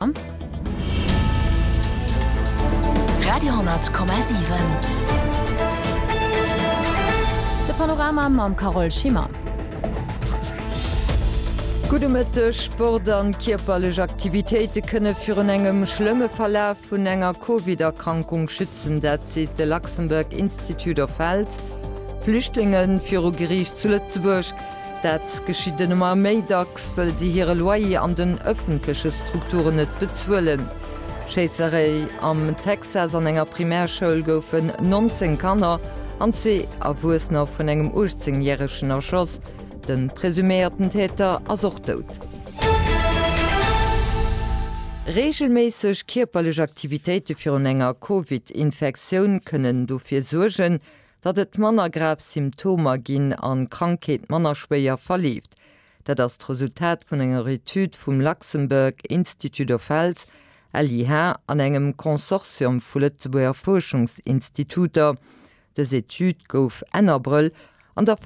Radio,7 De Panorama mam Carole Schimmer. Gudde Mëtteg, Sport an kierperlech Aktivitéite kënne virun engem schlëmme Verlaf vun enger Covid-Erkrankung schützen. Dat seet de Luxembourg Institute of Health. Flüchtlinge viru Geriicht zu Lëtzebuerg. Dat geschitt ëmmer méi dacks, wëll si hire Loyer an den ëffentleche Strukturen net bezuelen. Schéisserei am Texas, An enger Primärschoul goufen 19 Kanner an zwee Erwuessener vun engem 18 Järegen erschoss. De presuméierten Täter ass och dout. Reegelméisseg kierperlech Aktivitéite virun enger Covid-Infektioun kënnen dofir suergen, datt et manner grav Symptomer ginn an d'Krankheet manner schwéier verleeft. Dat ass d'Resultat vun enger Etüd vum Luxembourg Institute of Health, LIH, an engem Consortium vu Lëtzebuerger Fuerschungsinstituter. Dës Etüd gouf Enn Abrëll an der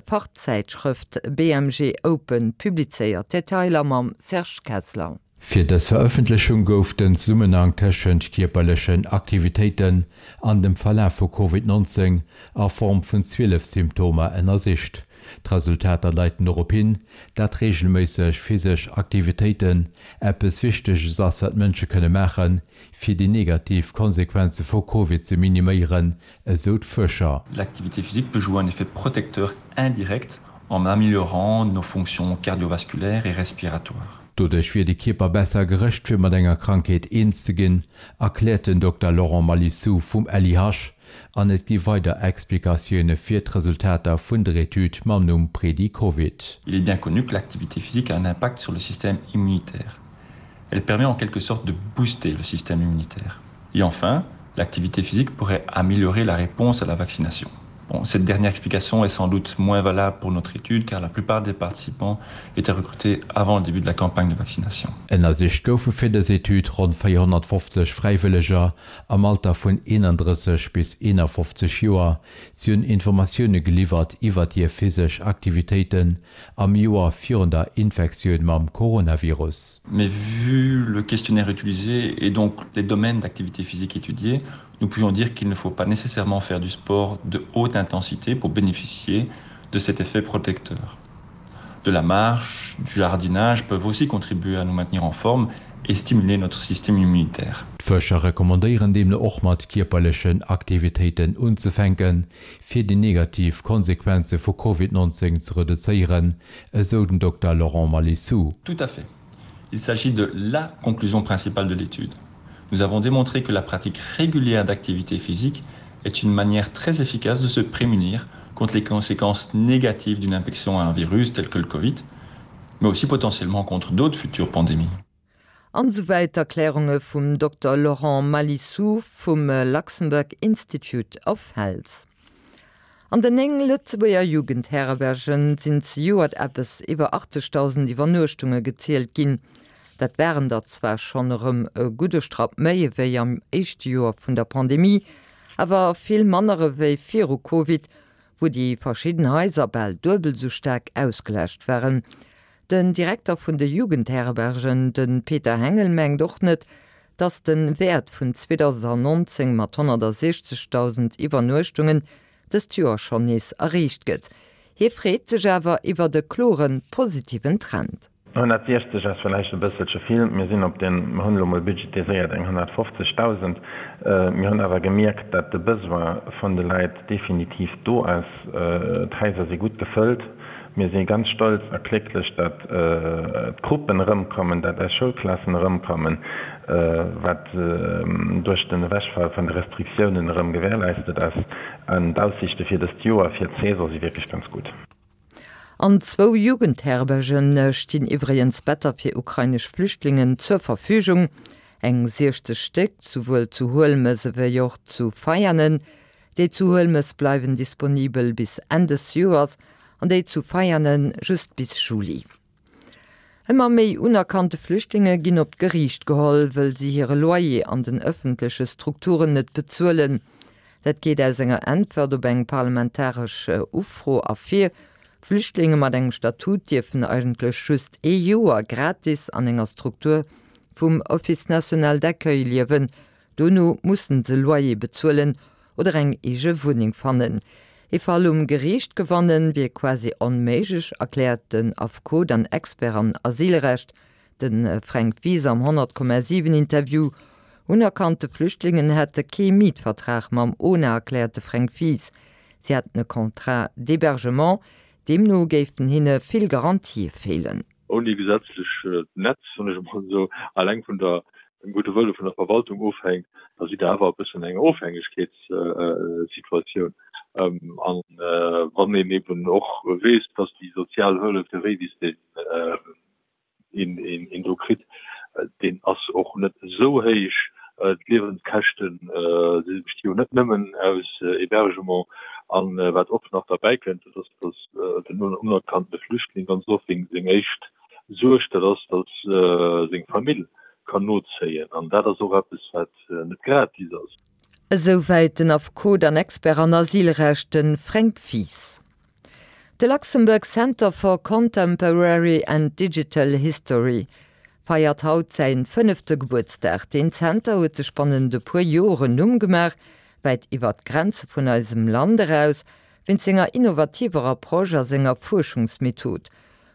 Fachzäitschrëft BMG Open publizéiert. Detailer mam Serge Kessler. Fir dës Verëffentlechung gouf den Zesummenhang tëschent kierperlechen Aktivitéiten an dem Verlaf vu Covid 19 a Form vun 12 Symptomer ënnersicht. D'Resultater deiten dorop hin, dat reegelméisseg physesch Aktivitéiten eppes Wichteges ass wat Mënsche kënne maachen, fir déi negativ Konsequenze vu Covid ze miniméieren, esou d'Fuerscher. L'activité physique peut jouer un effet protecteur indirect en améliorant nos fonctions cardiovasculaires et respiratoires. Doduerch wier de Kierper besser gerëscht fir mat enger Krankheet eens ze ginn, erkläert den Dokter Laurent Malissou vum LIH. An et gi weider Explikatioune fir d'Resultater vun der Etüd mam Numm Predi-Covid. Il est bien connu que l'activité physique a un impact sur le système immunitaire. Elle permet en quelque sorte de booster le système immunitaire. Et enfin, l'activité physique pourrait améliorer la réponse à la vaccination. Bon, cette dernière explication est sans doute moins valable pour notre étude car la plupart des participants étaient recrutés avant le début de la campagne de vaccination. Ënnersicht goufe fir dës Etüd ronn 450 Fräiwëlleger am Alter vun 31 bis 51 Joer. Si hunn Informatioune geliwwert iwwert hir physesch Aktivitéiten am Joer virun der Infektioun mam Coronavirus. Mais vu le questionnaire utilisé et donc les domaines d'activité physique étudiés, nous pouvions dire qu'il ne faut pas nécessairement faire du sport de haute intensité pour bénéficier de cet effet protecteur. De la marche, du jardinage peuvent aussi contribuer à nous maintenir en forme et stimuler notre système immunitaire. D'Fuerscher recommandéieren deemno och mat kierperlechen Aktivitéiten unzefänken, fir déi negativ Konsequenze vu Covid 19 ze reduzéieren, esou den Dokter Laurent Malissou. Tout à fait. Il s'agit de la conclusion principale de l'étude. Nous avons démontré que la pratique régulière d'activité physique est une manière très efficace de se prémunir contre les conséquences négatives d'une infection à un virus tel que le Covid, mais aussi potentiellement contre d'autres futures pandémies. An esouwäit d'Erklärunge vum Dokter Laurent Malissou vum Luxembourg Institute of Health. An den 9 Lëtzebuerger Jugendherbergen sinn zejoert eppes iwwer 80.000 Iwwernuechtunge gezielt ginn. Dat waren der zwar schonn erëm e gudde Strapp méi ewéi am éischte Joer vun der Pandemie, awer vill manner ewéi viru Covid, wou déi verschidden Haiser bal duebel esou staark ausgelaascht waren. Den Direkter vun de Jugendherbergen, de Peter Hengel, mengt och net, datt de Wäert vun 2019 mat 160.000 Iwwernuechtungen dëst Joer schonn nees erreecht gëtt. Hie freet sech awer iwwert e klore positiven Trend. 160 ass villäicht e bësselche vill. Mir sinn op den, mir hunn elo mol budgetiséiert eng 150.000. Mir hunn awer gemierkt, datt de Besoin vun de Leit definitiv do ass. D'Haiser si gutt gefëllt. Mir si ganz stolz a glécklech, datt d'Gruppen erëmkommen, datt eis Schoulklassen erëmkommen, wat duerch den Ewechfall vun de Restriktiounen erëm gewährleistet ass. An d'Aussiichte fir dëst Joer, fir d'Saison si wierklech ganz gutt. An zwou Jugendherberge stinn iwwregens Better fir ukrainesch Flüchtlingen zur Verfügung, eng 60 Stéck, souwuel zu Huelmes ewéi och zu Veianen. Déi zu Huelmes bleiwen disponibel bis Enn des Joers an déi zu Veianen just bis Juli. Ëmmer méi unerkannte Flüchtlinge ginn op d'Geriicht geholl, wëll si hire Loyer an den ëffentleche Strukturen net bezuelen. Dat geet aus enger Äntwert op eng parlamentaresch Ufro ervir. Flüchtlinge mat engem Statut dierfen eigentlech just ee Joer gratis an enger Struktur. vum Office national d'accueil liewen. Dono mussen se Loyer bezuelen oder eng eege Wunneng fannen. Ee Fall um Geriicht gewannen, wier quasi onméiglech, erkläert den Affekot an Expert an Asylrecht, de Fränk Wies am 100,7 Interview. Unerkannte Flüchtlingen hätte kee Mietvertrag mam ona, erkläert de Fränk Wies. Si hätten e Contrat d'hébergement, deemno géifen hinne vill Garantië feelen. Ouni gesetzlech Netz, soen ech emol esou, alleng vun der, dem gudde Wëlle vun der Verwaltung ofhänkt, da sidd Der awer e bëssen eng Ofhängegkeetssituatioun. An wann een eben och weess, dass déi sozial Hëllef, de Révis, deen een do kritt, deen ass och net esou héich. D'Liewenskäschte besti jo net nëmmen aus Hébergement. An wat och nach derbäi kënnt, dat ass, datt den unerkannte Flüchtling ganz oft seng éischt Suerg dat ass, datt seng Famill kann nozéien. An dat ass och eppes, wat net gratis ass. Esouwäit den Affekot an Expert an Asylrecht, de Fränk Wies. De Luxembourg Center for Contemporary and Digital History feiert haut säin fënnefte Gebuertsdag. Deen Zenter huet sech bannent e puer Joer en Numm gemaach, wäit iwwert d'Grenze vun eisem Land eraus, wéinst senger innovativer Approche a senger Fuerschungsmethod.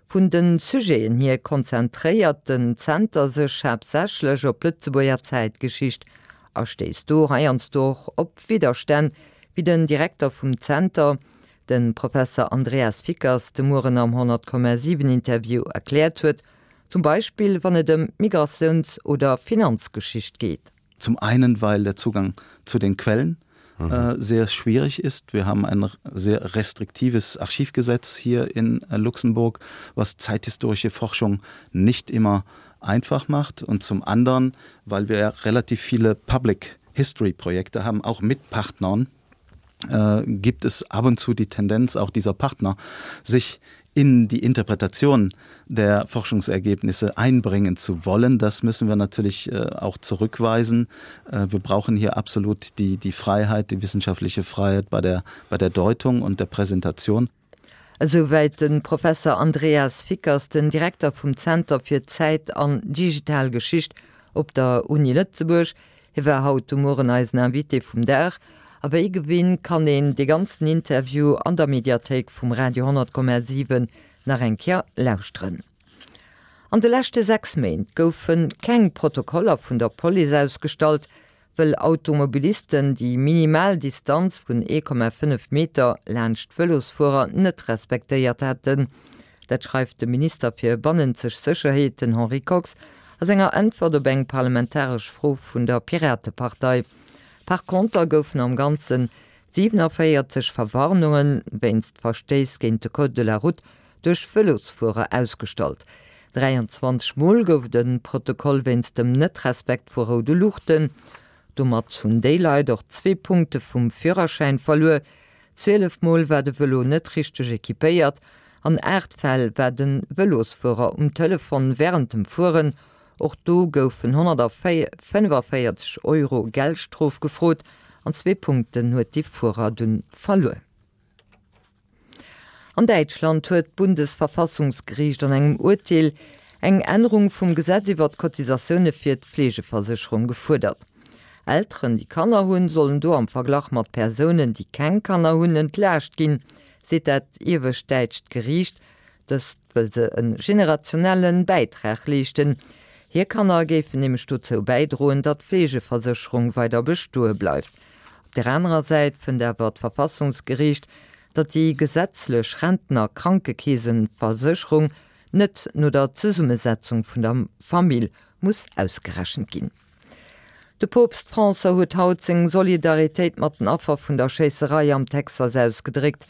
Vun de Sujeten hier konzentréiert den Zenter sech haaptsächlech op d'Lëtzebuerger Zäitgeschicht a stéisst do heiansdo och op Widderstänn, wéi den Direkter vum Zenter, de Professer Andreas Fickers, de Mueren am 100,7 Interview erkläert huet, zum Beispill wann et ëm d'Migratiouns oder Finanzgeschicht geet. Zum einen, weil der Zugang zu den Quellen mhm. äh, sehr schwierig ist. Wir haben ein sehr restriktives Archivgesetz hier in äh, Luxemburg, was zeithistorische Forschung nicht immer einfach macht und zum anderen, weil wir relativ viele Public History Projekte haben, auch mit Partnern, äh, gibt es ab und zu die Tendenz auch dieser Partner, sich in die Interpretation der Forschungsergebnisse einbringen zu wollen. Das müssen wir natürlich äh, auch zurückweisen. Äh, wir brauchen hier absolut die, die Freiheit, die wissenschaftliche Freiheit bei der, bei der Deutung und der Präsentation. Esouwäit de Professer Andreas Fickers, den Direkter vum Zenter fir Zäit an digital Geschicht op der Uni Lëtzebuerg. Hie war haut de Mueren eisen Invité vum Dag. A wéi gewinnt kann een dee ganzen Interview an der Mediathéik vum Radio 10,7 nach eng Kéier lauschteren. An de leschte 6 Méint goufe keng Protokoller vun der Police ausgestallt, wëll Automobilisten déi minimal Distanz vun 1,5 Meter laanscht Vëlosfuerer net respektéiert hätten. Dat schreift de Minister fir bannenzeg Sécherheet, den Henri Kox, a senger Äntwert op eng parlamentaresch Fro vun der Piratepartei. Par konter goufen am Ganze 47 Verwarnunge wéinst Verstéiss géint de Code de la route duerch Vëlosfuerer ausgestallt. 23 Mol gouf et e Protokoll wéinst dem Net-Respekt vu roude Luuchten. Domat hunn déi Leit och zwee Punkte vum Führerschäin verluer. 12 Mol war de Vëlo net richteg equipéiert. An 8 Fäll war de Vëlosfuerer um Telefon wärend dem Fueren. Och do goufen 145 Euro Geldstrof gefrot an zwee Punkten huet de Fuerer dunn verluer. An Däitschland huet d'Bundesverfassungsgeriicht an engem Urteel eng Ännerung vum Gesetz iwwer d'Cotisatioune fir d'Fleegeversécherung gefuerdert. Elteren, déi Kanner hunn, sollen do am Verglach mat Persounen, déi keng Kanner hunn, entlaascht ginn, seet dat iewescht däitscht Geriicht. Dëst wëll se e generationelle Bäitrag leeschten. Hir Kanner géifen nämlech dozou bäidroen, datt d'Fleegeversécherung weider bestoe bleift. Op där anerer Säit fënnt awer d'Verfassungsgeriicht, datt déi gesetzlech Rentner-Krankekeesenversécherung net no der Zesummesetzung vun der Famill muss ausgerechent ginn. De Poopst François huet haut seng Solidaritéit mat den Affer vun der Schéisserei am Texas ausgedréckt.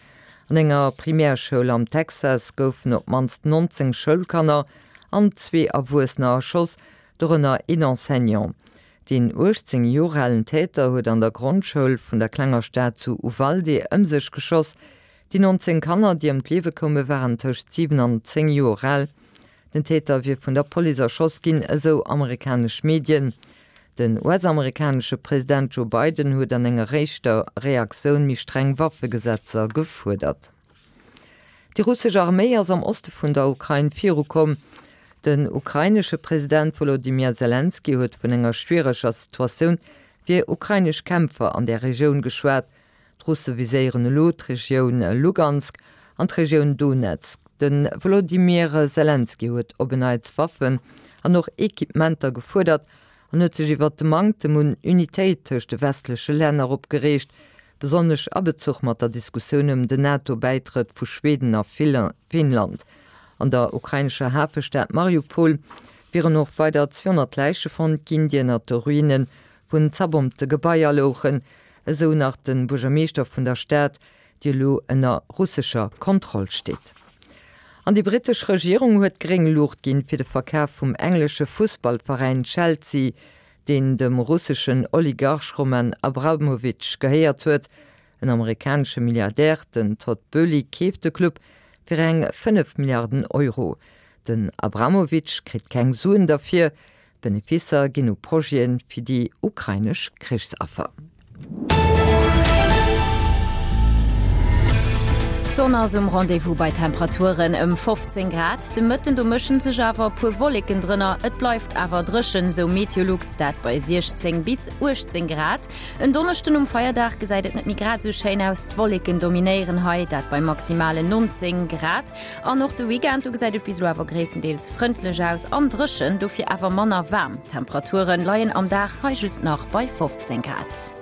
An enger Primärschoul am Texas goufen op d'mannst 19 Schoulkanner an zwee Erwuessener erschoss, dorënner een Enseignant. Deen 18 Joer alen Täter huet an der Grondschoul vun der klenger Stad zu Uvalde ëm sech geschoss. Déi 19 Kanner, déi ëm d'Liewe koume waren tëscht 7 an 10 Joer al. Den Täter wier vun der Police erschoss ginn, esou amerikanesch Medien. Den US-amerikanesche President Joe Biden huet an enger éischter Reaktioun méi streng Waffegesetzer gefuerdert. Déi russesch Arméi ass am Oste vun der Ukrain virukomm. Den ukrainesche President Wolodymyr Selenskyj huet vun enger schwiereger Situatioun fir ukrainesch Kämpfer an där Regioun geschwat. D'Russe viséieren elo d'Regioun Lugansk an d'Regioun Donezk. De Wolodymyr Selenskyj huet op en Neits Waffen an och Equipementer gefuerdert an huet sech iwwert de Manktem un Unitéit tëscht de westleche Länner opgereegt, besonnesch a Bezuch mat der Diskussioun ëm den NATO-Bäitrëtt vu Schweden a Finnland. An der ukrainescher Hafestad Mariupol wieren och weider 200 Läiche fonnt ginn, déi ënnert de Ruine vun zerbombte Gebaier louchen, esou nach de Buergermeeschter vun der Stad, déi elo ënner russescher Kontroll steet. An déi brittesch Regierung huet gréng Luucht ginn fir de Verkaf vum englesche Fussballveräin Chelsea, deen dem russeschen Oligarch Roman Abramovich gehéiert huet. En amerikanesche Milliardär, den Todd Boehly, keeft de Club fir eng 5 Milliarden Euro. Den Abramovich kritt keng Suen derfir, D'Beneficer ginn u Projete fir déi ukrainesch Krichsaffer. D'Sonn ass um Rendez-vous bei Temperaturen ëm 15 Grad. De Mëtten do mëschen sech awer e puer Wolleken drënner, et bleift awer dréchen, sou Meteolux, dat bei 16 bis 18 Grad. En Donneschden um Feierdag gesäit et net méi grad esou schéin aus, d'Wolleken dominéieren hei, dat bei maximalen 19 Grad. An och de Weekend, do gesäit et bis elo awer gréisstendeels frëndlech aus an dréchen, dofir awer manner waarm. D'Temperature leien am Dag hei just nach bei 15 Grad.